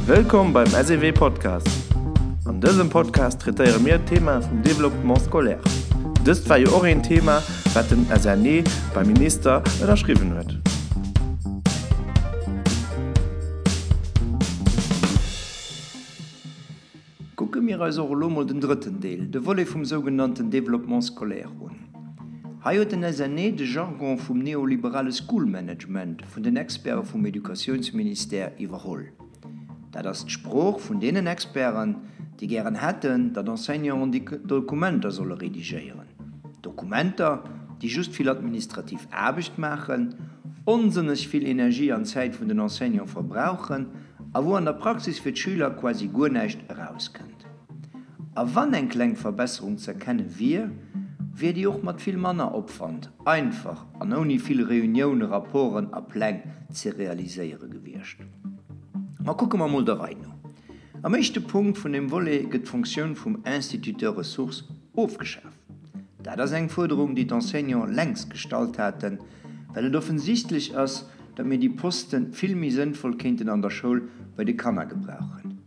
Wëllkomm beim SEW Podcast! An dësem Podcast traitéiere mir d'Thema vum Développement scolaire. Dëst war jo och een Thema, wat den SNE beim Minister ënnerschriwwen huet. Kucke mir eis och elo mol den drëtten Deel, de Volet vum sougenannten Développement scolaire un. Hei huet den SNE de Jargon vum neoliberale School Management vun den Experte vum Educatiounsministère iwwerholl. Dat ass d'Sprooch vun deenen Experten, déi gären hätten, datt Enseignanten déi Dokumenter solle redigéieren. Dokumenter, déi just vill administrativ Aarbecht maachen, onsënneg vill Energie an Zäit vun den Enseignante verbrauchen a wou an der Praxis fir d'Schüler quasi guer näischt erauskënnt. A wann eng kleng Verbesserung z'erkenne wier, wier déi och mat vill manner Opwand, einfach an ouni vill Reuniounen, Rapporten a Pläng ze realiséiere gewiescht. Ma kucke mer mol der Rei no. Am éischte Punkt vun deem Volet gëtt d'Fonctioun vum Instituteur ressource ofgeschaf. Dat ass eng Fuerderung, déi d'Enseignants längst gestallt haten, well et offensichtlech ass, datt mir déi Poste vill méi sënnvoll kéinten an der Schoul bei de Kanner gebrauchen.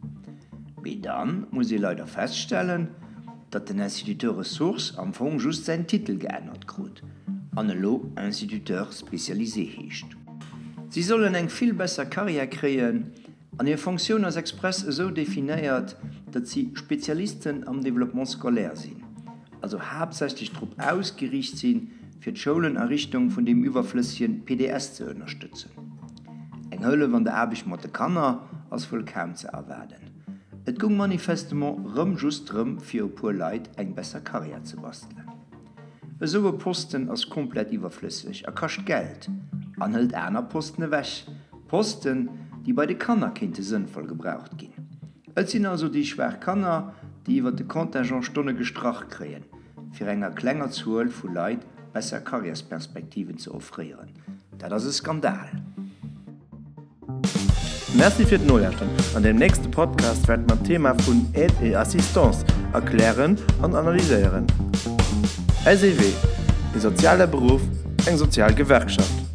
Mee da muss ee leider feststellen, datt den Instituteur ressource am Fong just säin Titel geännert krut an elo Instituteur spécialisé heescht. Si sollen eng vill besser Karriär kréien an hir Fonctioun ass express esou definéiert, datt si Spezialisten am Développement scolaire sinn, also haaptsächlech drop ausgeriicht sinn, fir d'Schoulen a Richtung vun deem iwwerflëssegen PDS ze ënnerstëtzen. Eng Hëllef an der Aarbecht mat de Kanner ass wuel kaum ze erwaarden. Et goung manifestement rëm just drëm, fir e puer Leit eng besser Karriär ze bastelen. Esou e Posten ass komplett iwwerflësseg a kascht Geld an hëlt aner Posten ewech, Posten, déi bei de Kanner kéinte sënnvoll gebraucht ginn. Et sinn also déi schwaach Kanner, déi iwwer de Contingent Stonne gestrach kréien, fir enger klenger Zuel vu Leit besser Karriärsperspektiven ze offréieren. Dat ass e Skandal! Merci fir d'Nolauschteren. An deem nächste Podcast wäerte mer d'Thema vun Aide et Assistance erklären an analyséieren. SEW, E soziale Beruff, eng sozial Gewerkschaft.